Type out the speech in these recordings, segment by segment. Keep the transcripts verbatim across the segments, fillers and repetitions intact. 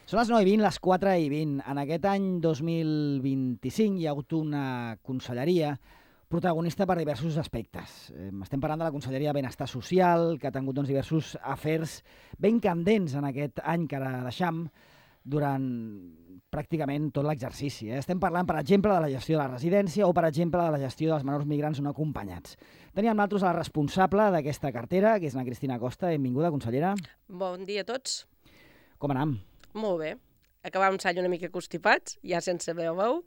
Són les nou i vint, les quatre i vint. En aquest any dos mil vint-i-cinc hi ha hagut una conselleria protagonista per diversos aspectes. Eh, estem parlant de la Conselleria de Benestar Social, que ha tingut doncs, diversos afers ben candents en aquest any que ara deixam durant pràcticament tot l'exercici. Eh? Estem parlant, per exemple, de la gestió de la residència o, per exemple, de la gestió dels menors migrants no acompanyats. Teníem nosaltres a la responsable d'aquesta cartera, que és la Cristina Costa. Benvinguda, consellera. Bon dia a tots. Com anam? Molt bé. Acabàvem l'any una mica constipats, ja sense veu veu,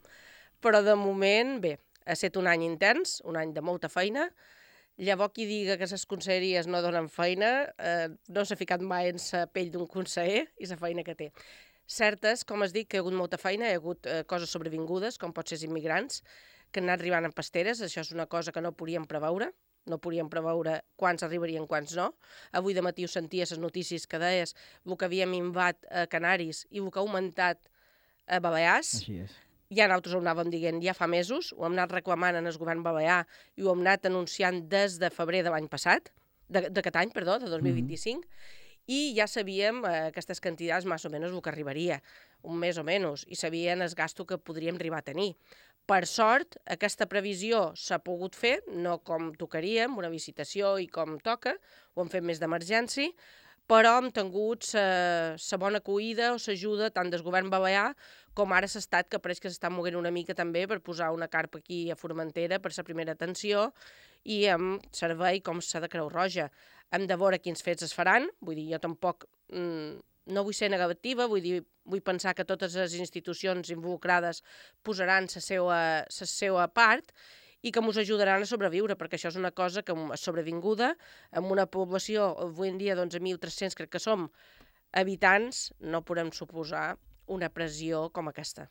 però de moment, bé, ha estat un any intens, un any de molta feina. Llavors, qui diga que les conselleries no donen feina, eh, no s'ha ficat mai en la pell d'un conseller i la feina que té. Certes, com es dic, que hi ha hagut molta feina, hi ha hagut eh, coses sobrevingudes, com pot ser els immigrants, que han anat arribant en pasteres. Això és una cosa que no podíem preveure, no podíem preveure quants arribarien, quants no. Avui de matí ho sentia les notícies que deies el que havíem invat a Canaris i el que ha augmentat a Balears. Així és. Ja nosaltres ho anàvem dient ja fa mesos, ho hem anat reclamant en el govern balear i ho hem anat anunciant des de febrer de l'any passat, d'aquest any, perdó, de dos mil vint-i-cinc, mm-hmm. i ja sabíem eh, aquestes quantitats més o menys el que arribaria, un mes o menys, i sabien el gasto que podríem arribar a tenir. Per sort, aquesta previsió s'ha pogut fer, no com tocaria, amb una licitació i com toca, ho hem fet més d'emergència, però hem tingut la bona acollida o l'ajuda tant del govern balear com ara l'Estat, que pareix que s'està movent una mica també per posar una carpa aquí a Formentera per la primera atenció i amb servei com s'ha de Creu Roja. Hem de veure quins fets es faran, vull dir, jo tampoc... Mm, no vull ser negativa, vull dir, vull pensar que totes les institucions involucrades posaran la seva, la seva part i que ens ajudaran a sobreviure, perquè això és una cosa que és sobrevinguda, amb una població, avui en dia, d'onze mil tres-cents, crec que som, habitants, no podem suposar una pressió com aquesta.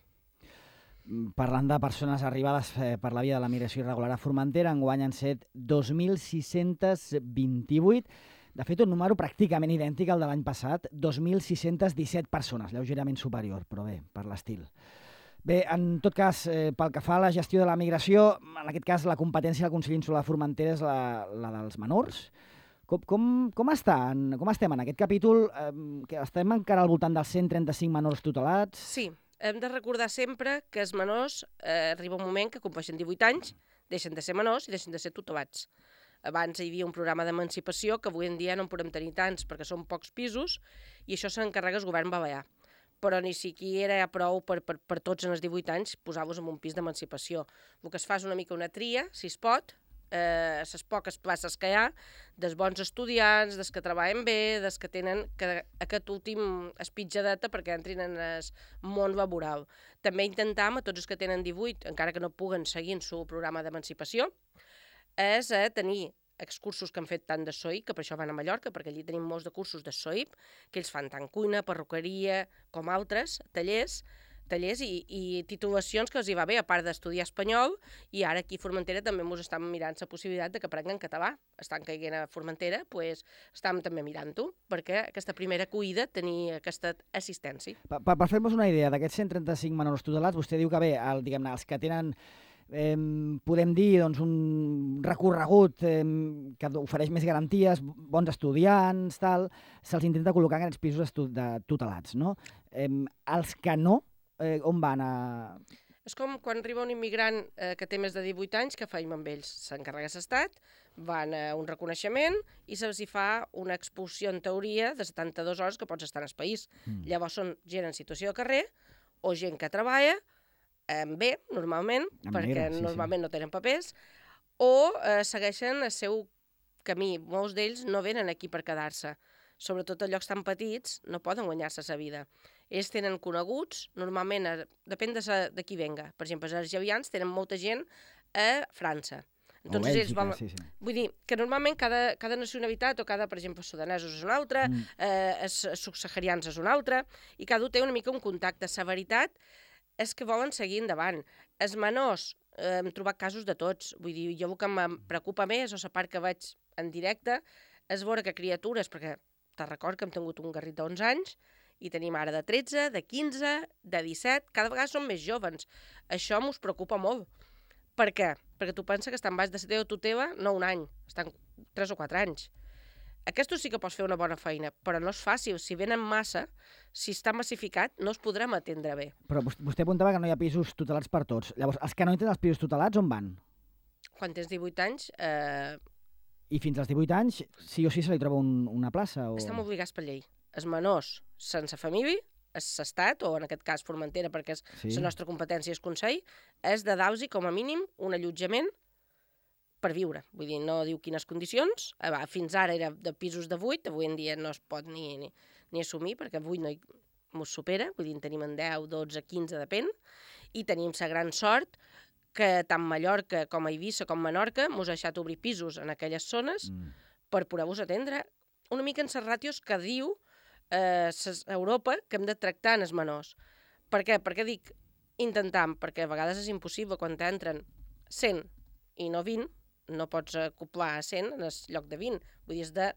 Parlant de persones arribades eh, per la via de la migració irregular a Formentera, enguany han set dos mil sis-cents vint-i-vuit. De fet, un número pràcticament idèntic al de l'any passat, dos mil sis-cents disset persones, lleugerament superior, però bé, per l'estil. Bé, en tot cas, eh, pel que fa a la gestió de la migració, en aquest cas la competència del Consell Insular de Formentera és la, la dels menors. Com, com, com, està, com estem en aquest capítol? Eh, que estem encara al voltant dels cent trenta-cinc menors tutelats? Sí, hem de recordar sempre que els menors eh, arriba un moment que compleixen divuit anys, deixen de ser menors i deixen de ser tutelats. Abans hi havia un programa d'emancipació que avui en dia no en podem tenir tants perquè són pocs pisos i això s'encarrega el govern balear. Però ni siquiera hi ha prou per, per, per tots en els divuit anys posar-vos en un pis d'emancipació. El que es fa és una mica una tria, si es pot, eh, les poques places que hi ha, dels bons estudiants, dels que treballen bé, dels que tenen que, aquest últim espitjadeta perquè entrin en el món laboral. També intentam a tots els que tenen divuit, encara que no puguen seguir en el programa d'emancipació, és a tenir excursos que han fet tant de S O I P, que per això van a Mallorca, perquè allí tenim molts de cursos de S O I P, que ells fan tant cuina, perruqueria, com altres, tallers, tallers i, i titulacions que els hi va bé, a part d'estudiar espanyol, i ara aquí a Formentera també ens estan mirant la possibilitat de que aprenguen català. Estan caient a Formentera, doncs estem també mirant-ho, perquè aquesta primera acollida tenir aquesta assistència. Per, per, per fer-nos una idea d'aquests cent trenta-cinc menors tutelats, vostè diu que bé, el, diguem-ne, els que tenen... Eh, podem dir doncs, un recorregut eh, que ofereix més garanties, bons estudiants, tal, se'ls intenta col·locar en aquests pisos de tutelats, no? Eh, els que no, eh, on van a... És com quan arriba un immigrant eh, que té més de divuit anys, que feim amb ells? S'encarrega l'Estat, van a un reconeixement i se'ls hi fa una expulsió en teoria de setanta-dues hores que pots estar en el país. Mm. Llavors són gent en situació de carrer o gent que treballa, amb bé, normalment, amb perquè negre, sí, normalment sí. No tenen papers, o eh, segueixen el seu camí. Molts d'ells no venen aquí per quedar-se. Sobretot a llocs tan petits no poden guanyar-se la vida. Ells tenen coneguts, normalment, eh, depèn de, sa, de qui venga. Per exemple, els argevians tenen molta gent a França. Entonces, Bèlgica, ells van... sí, sí. Vull dir que normalment cada, cada nacionalitat, o cada, per exemple, sudanesos és una altra, mm. eh, els subsaharians és una altra, i cada un té una mica un contacte. La veritat és que volen seguir endavant. Els menors, eh, hem trobat casos de tots. Vull dir, jo el que em preocupa més, o la part que veig en directe, és veure que criatures, perquè te record que hem tingut un garrit d'onze anys, i tenim ara de tretze, de quinze, de disset, cada vegada són més jovens. Això mos preocupa molt. Per què? Perquè tu penses que estan baix de la teva tutela no un any, estan tres o quatre anys. Aquestos sí que pots fer una bona feina, però no és fàcil. Si venen massa, si està massificat, no es podrem atendre bé. Però vostè apuntava que no hi ha pisos tutelats per tots. Llavors, els que no entren els pisos tutelats, on van? Quan tens divuit anys, eh, I fins als divuit anys, sí o sí se li troba un, una plaça? O... estem obligats per llei. Els menors sense família, s'estat, o en aquest cas Formentera, perquè és Sí. la nostra competència és Consell, és de dar-los com a mínim un allotjament per viure. Vull dir, no diu quines condicions. Eh, va, fins ara era de pisos de vuit, avui en dia no es pot ni, ni, ni assumir, perquè vuit no hi, mos supera, vull dir, en tenim en deu, dotze, quinze, depèn, i tenim la gran sort que tant Mallorca com a Eivissa com Menorca mos ha deixat obrir pisos en aquelles zones Mm. per poder-vos atendre una mica en les ràtios que diu eh, ses, Europa que hem de tractar en els menors. Per què? Per què dic intentant? Perquè a vegades és impossible quan t'entren cent i no vint, no pots acoplar a cent en el lloc de vint. Vull dir, has de,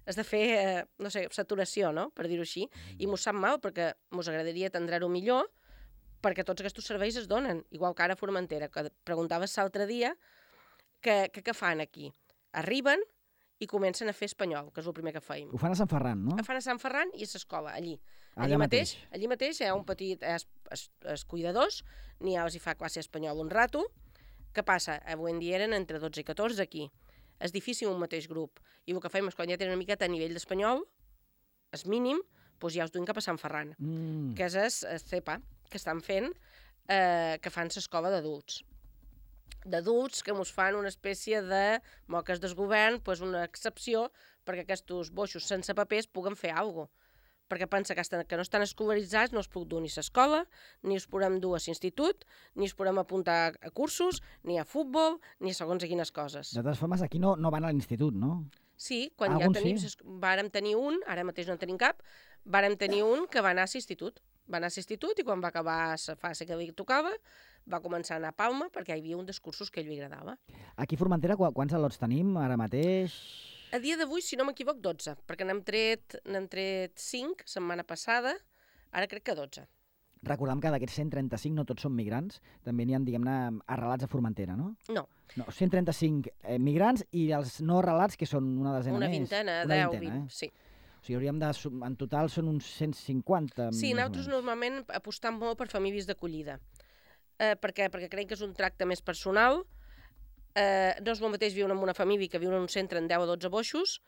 has de fer, eh, no sé, saturació, no?, per dir-ho així. I mos sap mal perquè mos agradaria atendre-ho millor perquè tots aquests serveis es donen. Igual que ara a Formentera, que preguntaves l'altre dia què que, que fan aquí. Arriben i comencen a fer espanyol, que és el primer que feim. Ho fan a Sant Ferran, no? Ho fan a Sant Ferran i a l'escola, allí. Allà Allí mateix, mateix. allí mateix hi ha un petit... Els, els, els cuidadors, n'hi ha els hi fa classe espanyol un rato. Què passa? Avui en dia eren entre dotze i catorze aquí. És difícil un mateix grup. I el que fem és quan ja tenen una miqueta a nivell d'espanyol, és mínim, doncs ja us duim cap a Sant Ferran, Mm. que és el C E P A, que estan fent, eh, que fan l'escola d'adults. D'adults que mos fan una espècie de moques del govern, pues una excepció perquè aquests boixos sense papers puguen fer alguna cosa. Perquè pensa que, estan, que no estan escolaritzats, no es puc dur ni a l'escola, ni es podem dur a l'institut, ni es podem apuntar a cursos, ni a futbol, ni a segons a quines coses. De totes formes, aquí no, no van a l'institut, no? Sí, quan Algun ja tenim, sí. vàrem tenir un, ara mateix no en tenim cap, vàrem tenir un que va anar a l'institut. Va anar a l'institut i quan va acabar la fase que li tocava, va començar a anar a Palma perquè hi havia un dels cursos que a ell li agradava. Aquí a Formentera, qu quants al·lots tenim ara mateix? A dia d'avui, si no m'equivoc, dotze, perquè n'hem tret, n'hem tret cinc setmana passada, ara crec que dotze. Recordem que d'aquests cent trenta-cinc no tots són migrants, també n'hi ha, diguem-ne, arrelats a Formentera, no? No, No, cent trenta-cinc eh, migrants i els no arrelats, que són una desena una més. vintena, Una deu, vintena, vint, sí. O sigui, hauríem de... sum- En total són uns cent cinquanta. Sí, més o nosaltres menys. normalment apostam molt per famílies d'acollida. Eh, per què? Perquè creiem que és un tracte més personal. Eh, no és el mateix viure en una família que viure en un centre en deu o dotze boixos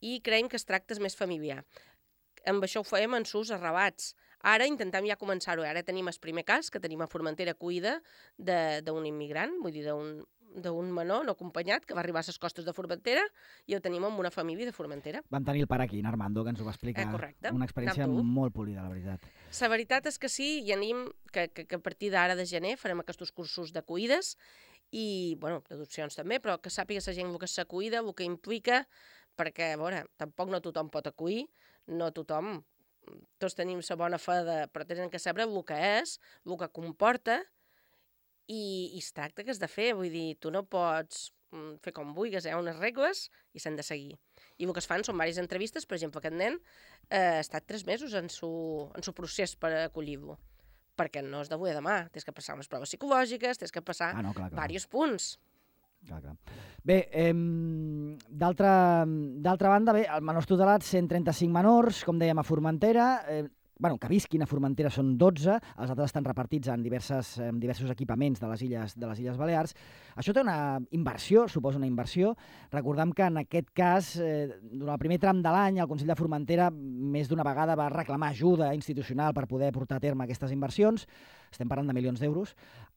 i creiem que es tracta és més familiar. Amb això ho fèiem en sus arrelats. Ara intentem ja començar-ho. Ara tenim el primer cas, que tenim a Formentera acollida d'un immigrant, vull dir, d'un d'un menor no acompanyat que va arribar a les costes de Formentera i el tenim amb una família de Formentera. Vam tenir el pare aquí, en Armando, que ens ho va explicar. Eh, correcte. Una experiència Anar-te-ho. molt polida, la veritat. La veritat és que sí, i anem que, que, que a partir d'ara de gener farem aquests cursos d'acoïdes i, bueno, d'adopcions també, però que sàpiga la gent el que s'acoïda, el que implica, perquè, a veure, tampoc no tothom pot acollir, no tothom, tots tenim la bona fe de, però tenen que saber el que és, el que comporta, i, i es tracta que has de fer, vull dir, tu no pots mm, fer com vulguis, hi ha unes regles i s'han de seguir. I el que es fan són diverses entrevistes, per exemple, aquest nen eh, ha estat tres mesos en su, en su procés per acollir-lo, perquè no és d'avui a demà, tens que passar unes proves psicològiques, tens que passar Ah, no, clar, clar. diversos punts. Clar, clar. Bé, eh, d'altra d'altra banda, bé, el menors tutelats, cent trenta-cinc menors, com dèiem, a Formentera. Eh, bueno, que visquin a Formentera són dotze, els altres estan repartits en, diverses, en diversos equipaments de les, illes, de les Illes Balears. Això té una inversió, suposa una inversió. Recordem que en aquest cas, eh, durant el primer tram de l'any, el Consell de Formentera més d'una vegada va reclamar ajuda institucional per poder portar a terme aquestes inversions. Estem parlant de milions d'euros.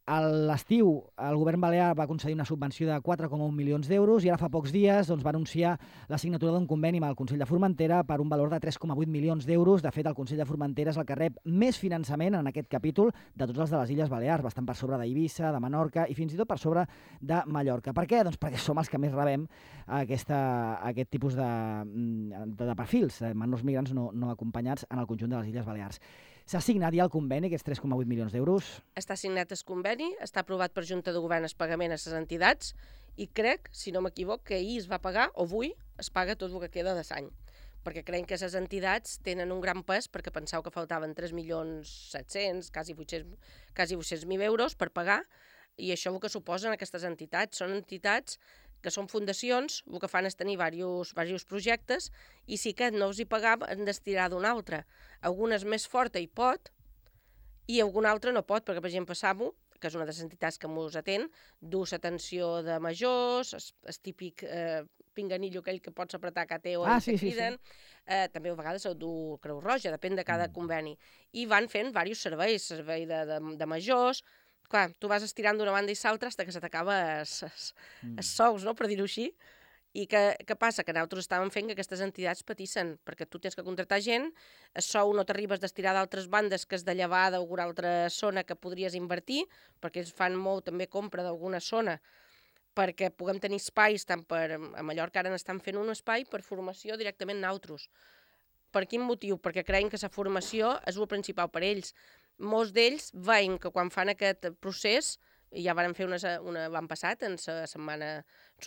A l'estiu, el govern balear va concedir una subvenció de quatre coma un milions d'euros i ara fa pocs dies doncs, va anunciar la signatura d'un conveni amb el Consell de Formentera per un valor de tres coma vuit milions d'euros. De fet, el Consell de Formentera és el que rep més finançament en aquest capítol de tots els de les Illes Balears, bastant per sobre d'Eivissa, de Menorca i fins i tot per sobre de Mallorca. Per què? Doncs perquè som els que més rebem aquesta, aquest tipus de, de, de perfils, de menors migrants no, no acompanyats en el conjunt de les Illes Balears. S'ha signat ja el conveni, aquests tres coma vuit milions d'euros? Està signat el conveni, està aprovat per Junta de Govern el pagament a les entitats i crec, si no m'equivoc, que ahir es va pagar, o avui es paga tot el que queda de l'any. Perquè creiem que les entitats tenen un gran pes, perquè penseu que faltaven tres milions set-cents, quasi vuit-cents mil euros per pagar, i això el que suposen aquestes entitats són entitats que són fundacions, el que fan és tenir diversos, diversos projectes, i si aquest no els hi pagava, han d'estirar d'un altre. Algunes més forta hi pot, i algun altre no pot, perquè, per exemple, SAMU, que és una de les entitats que ens atén, du l'atenció de majors, el típic eh, pinganillo aquell que pots apretar que té o ah, sí, sí, criden, sí, sí. Eh, també a vegades el du Creu Roja, depèn de cada mm. conveni. I van fent diversos serveis, servei de, de, de majors. Clar, tu vas estirant d'una banda i l'altra fins que se t'acaba els mm. sous, no?, per dir-ho així. I què, què passa? Que nosaltres estàvem fent que aquestes entitats patissin, perquè tu tens que contractar gent, el sou no t'arribes d'estirar d'altres bandes que és de llevar d'alguna altra zona que podries invertir, perquè ells fan molt també compra d'alguna zona, perquè puguem tenir espais, tant per, a Mallorca ara n'estan fent un espai per formació directament nosaltres. Per quin motiu? Perquè creiem que la formació és el principal per ells. Molts d'ells veien que quan fan aquest procés, i ja varen fer una, una l'any passat, en la setmana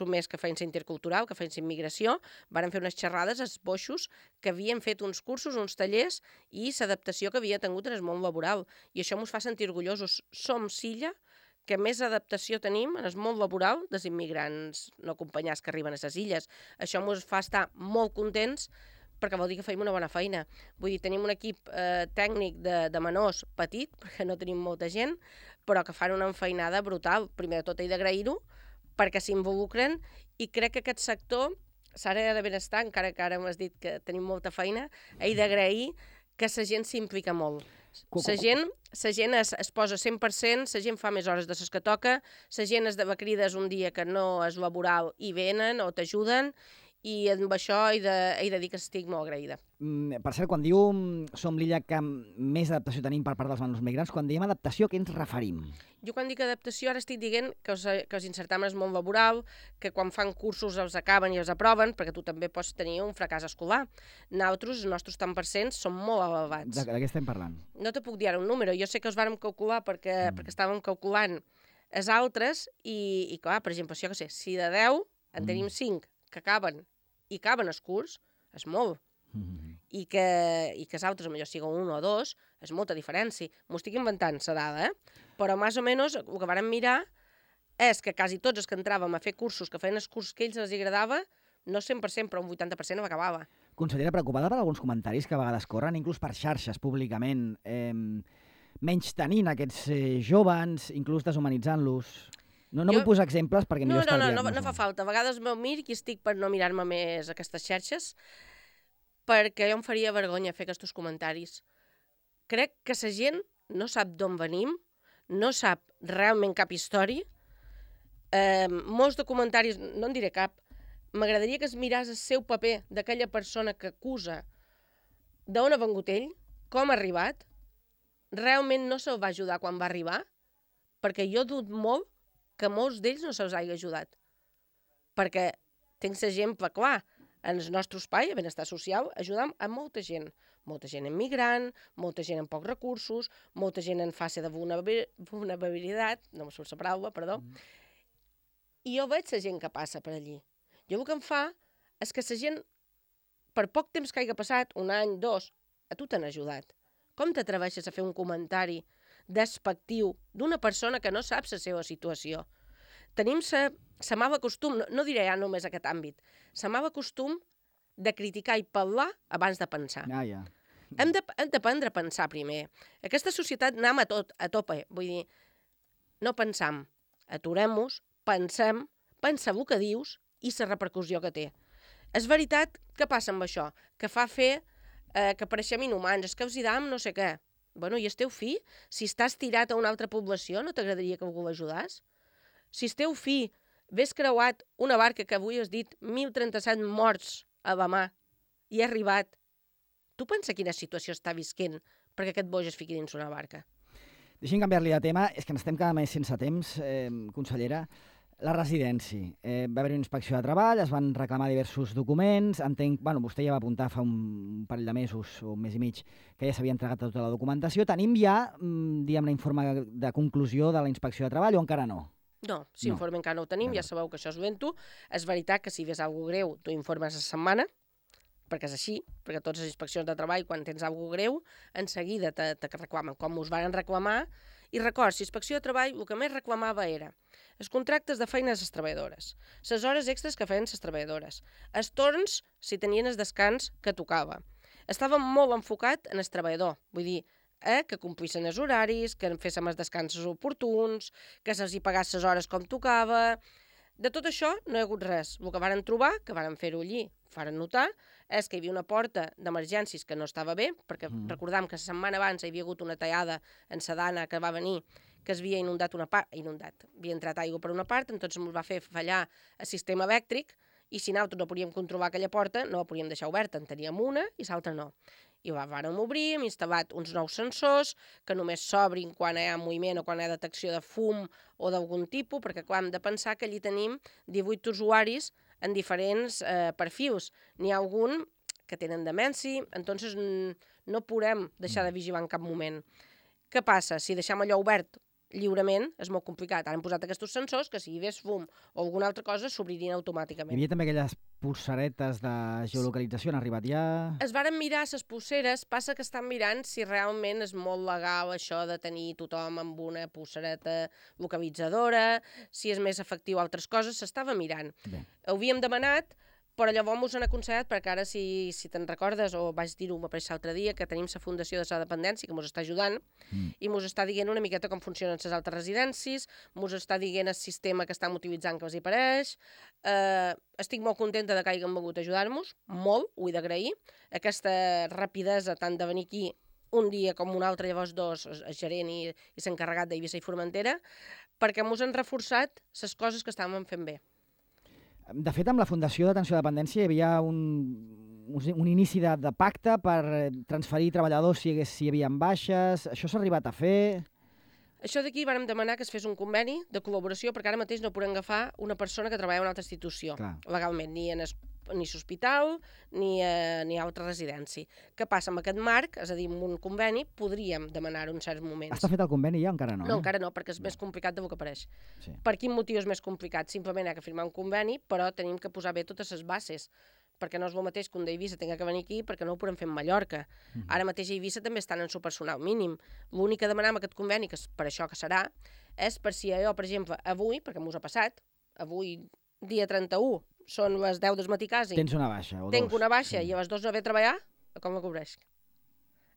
un mes que feien la intercultural, que feien la immigració, varen fer unes xerrades als boixos que havien fet uns cursos, uns tallers i l'adaptació que havia tingut en el món laboral. I això ens fa sentir orgullosos. Som l'illa que més adaptació tenim en el món laboral dels immigrants no acompanyats que arriben a les illes. Això ens fa estar molt contents perquè vol dir que feim una bona feina. Vull dir, tenim un equip eh, tècnic de, de menors petit, perquè no tenim molta gent, però que fan una enfeinada brutal. Primer de tot he d'agrair-ho, perquè s'involucren, i crec que aquest sector, l'àrea de benestar, encara que ara m'has dit que tenim molta feina, he d'agrair que la gent s'implica molt. La gent, la gent es, es posa cent per cent, la gent fa més hores de les que toca, la gent es dava crides un dia que no és laboral i venen o t'ajuden, i amb això he de, he de dir que estic molt agraïda. Mm, per cert, quan diu som l'illa que més adaptació tenim per part dels menors migrants, quan diem adaptació, a què ens referim? Jo quan dic adaptació ara estic dient que us, que us insertam en el món laboral, que quan fan cursos els acaben i els aproven, perquè tu també pots tenir un fracàs escolar. Nosaltres, els nostres tant per cent, són molt elevats. De, de què estem parlant? No te puc dir ara un número, jo sé que us vàrem calcular perquè, mm. perquè estàvem calculant els altres i, i clar, per exemple, jo què sé, si de deu en tenim mm. cinc que acaben i acaben el curs, és molt. Mm-hmm. I que, i que els altres, millor siguin un o dos, és molta diferència. M'ho estic inventant, la dada, eh? Però més o menys el que vàrem mirar és que quasi tots els que entràvem a fer cursos, que feien els cursos que ells els agradava, no cent per cent, però un vuitanta per cent acabava. Consellera, preocupada per alguns comentaris que a vegades corren, inclús per xarxes públicament, eh, menys tenint aquests eh, joves, inclús deshumanitzant-los... No, no jo... vull posar exemples perquè millor no, no, estalviar-nos. No, no, no fa falta. A vegades me'l mir i estic per no mirar-me més aquestes xarxes perquè jo em faria vergonya fer aquests comentaris. Crec que la gent no sap d'on venim, no sap realment cap història. Eh, molts de comentaris, no en diré cap, m'agradaria que es miràs el seu paper d'aquella persona que acusa d'on ha vengut ell, com ha arribat, realment no se'l va ajudar quan va arribar, perquè jo dubto molt que molts d'ells no se'ls hagi ajudat. Perquè tens exemple clar, en el nostre espai, a benestar social, ajudam a molta gent. Molta gent immigrant, molta gent amb pocs recursos, molta gent en fase de vulnerabilitat, no me surt la paraula, perdó. Mm. I jo veig la gent que passa per allí. Jo el que em fa és que la gent, per poc temps que hagi passat, un any, dos, a tu t'han ajudat. Com t'atreveixes a fer un comentari despectiu d'una persona que no sap la seva situació? Tenim la mala costum, no, no diré ja només aquest àmbit, la mala costum de criticar i parlar abans de pensar. Ah, ja. Hem de, hem d'aprendre a pensar primer. Aquesta societat anem a tot, a tope, vull dir, no pensam, aturem-nos, pensem, pensa el que dius i la repercussió que té. És veritat que passa amb això, que fa fer eh, que pareixem inhumans, és que us hi dam no sé què. Bueno, i el teu fill, si estàs tirat a una altra població, no t'agradaria que algú l'ajudàs? Si el teu fill ves creuat una barca que avui has dit mil trenta-set morts a la mà i ha arribat, tu pensa quina situació està visquent perquè aquest boix es fiqui dins una barca? Deixem canviar-li de tema, és que n'estem cada mes sense temps, eh, consellera. La residència. Eh, va haver una inspecció de treball, es van reclamar diversos documents, entenc, bueno, vostè ja va apuntar fa un parell de mesos o un mes i mig que ja s'havia entregat tota la documentació. Tenim ja, diguem, l'informe de conclusió de la inspecció de treball o encara no? No, si no. Informe encara no ho tenim, no. Ja sabeu que això és lento. És veritat que si ves alguna greu, tu informes a setmana, perquè és així, perquè totes les inspeccions de treball, quan tens alguna greu, en seguida te, te reclamen. Com us van reclamar, I record, si Inspecció de Treball el que més reclamava era els contractes de feina a les treballadores, les hores extres que feien les treballadores, els torns, si tenien el descans que tocava. Estava molt enfocat en el treballador, vull dir, eh, que complissin els horaris, que fessin els descansos oportuns, que se'ls hi pagàs les hores com tocava. De tot això no hi ha hagut res. El que varen trobar, que varen fer-ho allí, varen notar, és que hi havia una porta d'emergències que no estava bé, perquè mm. recordam que la setmana abans hi havia hagut una tallada en la dana que va venir, que es havia inundat una part, inundat, havia entrat aigua per una part, entonces ens va fer fallar el sistema elèctric, i si nosaltres no podíem controlar aquella porta, no la podíem deixar oberta, en teníem una i l'altra no. I la vàrem obrir, hem instal·lat uns nous sensors que només s'obrin quan hi ha moviment o quan hi ha detecció de fum o d'algun tipus, perquè clar, hem de pensar que allí tenim divuit usuaris en diferents eh, perfils. N'hi ha algun que tenen demència, entonces no podem deixar de vigilar en cap moment. Què passa? Si deixem allò obert lliurement és molt complicat. Ara hem posat aquests sensors que si hi hagués fum o alguna altra cosa s'obririen automàticament. Hi havia també aquelles polseretes de geolocalització, han arribat ja? Es varen mirar les polseres, passa que estan mirant si realment és molt legal això de tenir tothom amb una polsereta localitzadora, si és més efectiu altres coses, s'estava mirant. Bé. Ho havíem demanat, però llavors mos han aconsellat, perquè ara, si, si te'n recordes, o vaig dir-ho m'apareix l'altre dia, que tenim la Fundació de la Dependència, que mos està ajudant, mm. i mos està dient una miqueta com funcionen les altres residències, mos està dient el sistema que estan utilitzant que els hi pareix. Eh, estic molt contenta de que hagin volgut ajudar-nos, molt, ho he d'agrair. Aquesta rapidesa tant de venir aquí un dia com un altre, llavors dos, el gerent i, i s'encarregat d'Eivissa i Formentera, perquè mos han reforçat les coses que estàvem fent bé. De fet, amb la Fundació d'Atenció a la Dependència hi havia un, un inici de, de pacte per transferir treballadors si, hagués, si hi havia baixes. Això s'ha arribat a fer? Això d'aquí vàrem demanar que es fes un conveni de col·laboració, perquè ara mateix no podem agafar una persona que treballa en una altra institució, Clar. legalment, ni en es, ni l'hospital ni, eh, ni a altra residència. Què passa? Amb aquest marc, és a dir, amb un conveni, podríem demanar-ho en certs moments. Està fet el conveni ja o encara no? No, eh? encara no, perquè és no. més complicat del que pareix. Sí. Per quin motiu és més complicat? Simplement hi ha que firmar un conveni, però tenim que posar bé totes les bases, perquè no és el mateix que un d'Eivissa tinga que venir aquí perquè no ho podem fer a Mallorca. Uh-huh. Ara mateix a Eivissa també estan en su personal mínim. L'únic que demanem aquest conveni, que és per això que serà, és per si jo, per exemple, avui, perquè m'ho ha passat, avui, dia trenta-u, són les deu del matí quasi. Tens una baixa o dos. Tenc una baixa sí. i a les dos no ve a treballar, com la cobreix?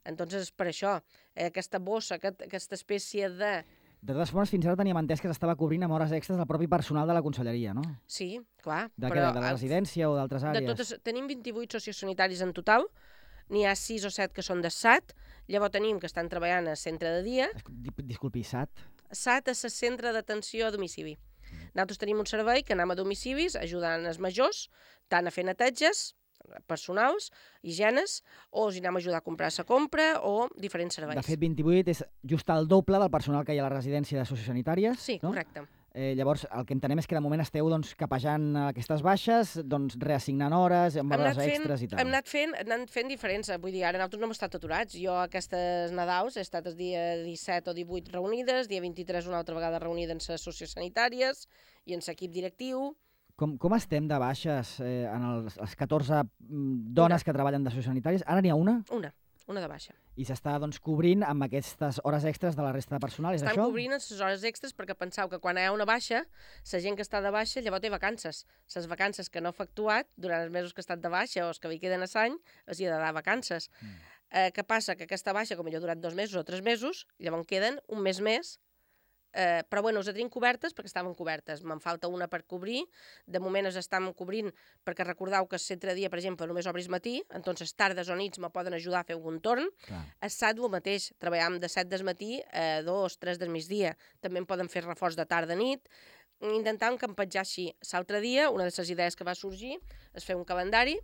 Entonces, és per això, eh, aquesta bossa, aquest, aquesta espècie de... De totes formes, fins ara teníem entès que s'estava cobrint amb hores extres del propi personal de la conselleria, no? Sí, clar. De, però, de la residència o d'altres àrees? De totes, tenim vint-i-vuit sociosanitaris en total, n'hi ha sis o set que són de S A T, llavors tenim que estan treballant a centre de dia. Disculpi, S A T? S A T és el Centre d'Atenció a Domicili. Nosaltres tenim un servei que anem a domicilis ajudant els majors, tant a fer neteges personals, higienes, o els anem a ajudar a comprar la compra o diferents serveis. De fet, vint-i-vuit és just el doble del personal que hi ha a la residència de sociosanitàries. Sí, no? correcte. Eh, llavors, el que entenem és que de moment esteu doncs, capejant aquestes baixes, doncs, reassignant hores, amb hores extres i tal. Hem anat fent, hem anat fent diferents, vull dir, ara nosaltres no hem estat aturats. Jo aquestes Nadals he estat el dia disset o divuit reunides, dia vint-i-tres una altra vegada reunida en les sociosanitàries i en l'equip directiu. Com, com estem de baixes eh, en els, les catorze dones una. que treballen de sociosanitàries? Ara n'hi ha una? Una. Una de baixa. I s'està doncs, cobrint amb aquestes hores extres de la resta de personal, és Estan això? Estan cobrint les hores extres perquè penseu que quan hi ha una baixa, la gent que està de baixa llavors té vacances. Les vacances que no ha efectuat durant els mesos que ha estat de baixa o els que li queden a l'any, els hi ha de dar vacances. Mm. Eh, què passa? Que aquesta baixa, com jo ha durat dos mesos o tres mesos, llavors queden un mes més. Eh, però bueno, us tenim cobertes perquè estaven cobertes. Me'n falta una per cobrir. De moment es estan cobrint perquè recordeu que el centre de dia, per exemple, només obris matí, entonces tardes o nits me poden ajudar a fer algun torn. Clar. A S A T el mateix, treballem de set del matí a dos, tres del migdia. També em poden fer reforç de tarda-nit. Intentant campejar així. L'altre dia, una de les idees que va sorgir és fer un calendari,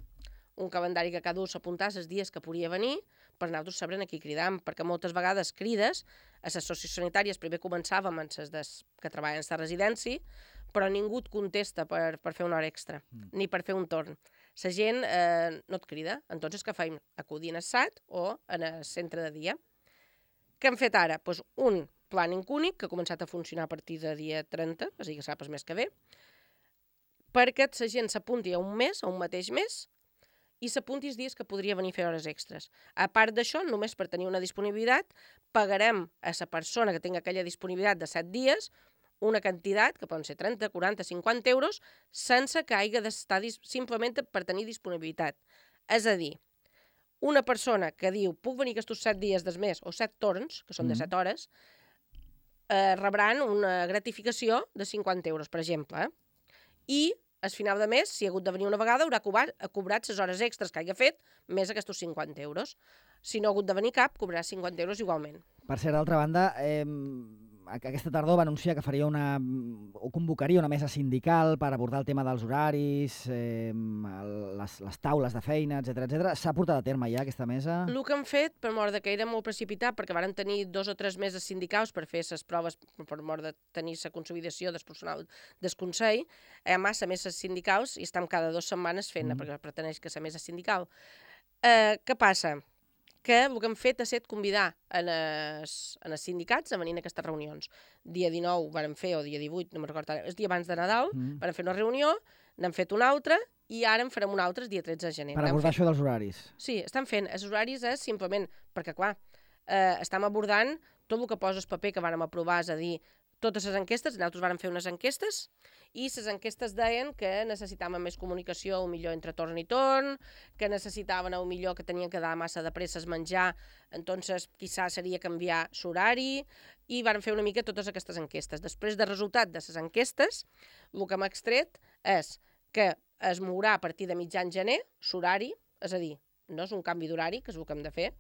un calendari que cada un s'apuntés els dies que podia venir, per nosaltres sabrem aquí cridam, perquè moltes vegades crides a les sociosanitàries, primer començàvem amb les des, que treballen a la residència, però ningú et contesta per, per fer una hora extra, mm. ni per fer un torn. La gent eh, no et crida, entonces què feim? Acudir a S A T o en el centre de dia. Què hem fet ara? Pues un planning únic que ha començat a funcionar a partir de dia trenta, és a dir, que saps més que bé, perquè la gent s'apunti a un mes, a un mateix mes, i s'apunti els dies que podria venir a fer hores extres. A part d'això, només per tenir una disponibilitat, pagarem a la persona que tingui aquella disponibilitat de set dies una quantitat, que poden ser trenta, quaranta, cinquanta euros, sense que hagi d'estar simplement per tenir disponibilitat. És a dir, una persona que diu puc venir aquests set dies del mes, o set torns, que són de set hores, eh, rebran una gratificació de cinquanta euros, per exemple. Eh? I al final de mes, si ha hagut de venir una vegada, haurà cobrat, cobrat les hores extres que hagi fet, més aquests cinquanta euros. Si no ha hagut de venir cap, cobrarà cinquanta euros igualment. Per cert, d'altra banda, eh, aquesta tardor va anunciar que faria una, o convocaria una mesa sindical per abordar el tema dels horaris, eh, les, les taules de feina, etcètera, etcètera. S'ha portat a terme ja aquesta mesa? El que han fet, per mort de que era molt precipitat, perquè varen tenir dos o tres meses sindicals per fer les proves, per mort de tenir la consolidació del personal del Consell, hi ha massa meses sindicals i estem cada dues setmanes fent-ne, mm. perquè pretendeix que la mesa sindical. Eh, què passa? Que el que hem fet ha estat convidar en els, en els sindicats a venir a aquestes reunions. Dia dinou vàrem fer, o dia divuit, no me'n recordo, el dia abans de Nadal, mm. vàrem fer una reunió, n'hem fet una altra, i ara en farem una altra el dia tretze de gener. Per abordar això dels horaris. Sí, estem fent. Els horaris és simplement, perquè clar, eh, estem abordant tot el que posa el paper que vàrem aprovar, és a dir, totes les enquestes, nosaltres vàrem fer unes enquestes, i les enquestes deien que necessitaven més comunicació, un millor entre torn i torn, que necessitaven un millor que tenien que dar massa de presses menjar, entonces quizà seria canviar l'horari, i vàrem fer una mica totes aquestes enquestes. Després del resultat de les enquestes, el que hem extret és que es mourà a partir de mitjan gener l'horari, és a dir, no és un canvi d'horari, que és el que hem de fer,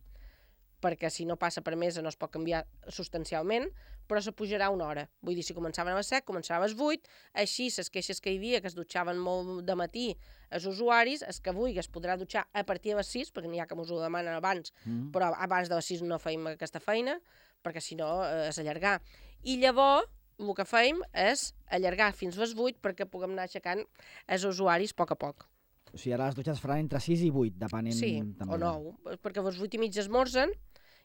perquè si no passa per mesa no es pot canviar substancialment, però se pujarà una hora. Vull dir, si començaven a les set, començava a les vuit, així les queixes que hi havia, que es dutxaven molt de matí els usuaris, els que vulgui es podrà dutxar a partir de les sis, perquè n'hi ha que ens ho demanen abans, mm. però abans de les sis no feim aquesta feina, perquè si no eh, és allargar. I llavors, el que feim és allargar fins a les vuit perquè puguem anar aixecant els usuaris a poc a poc. O sigui, ara les dutxes faran entre sis i vuit, depenent... Sí, també. O nou, perquè a les vuit i mig esmorzen,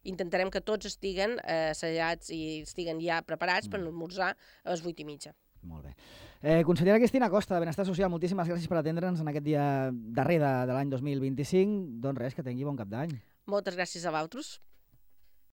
intentarem que tots estiguen eh, assajats i estiguen ja preparats mm. per esmorzar a les vuit i mitja. Molt bé. Eh, consellera Cristina Costa, de Benestar Social, moltíssimes gràcies per atendre'ns en aquest dia darrer de, de l'any dos mil vint-i-cinc. Doncs res, que tingui bon cap d'any. Moltes gràcies a vosaltres.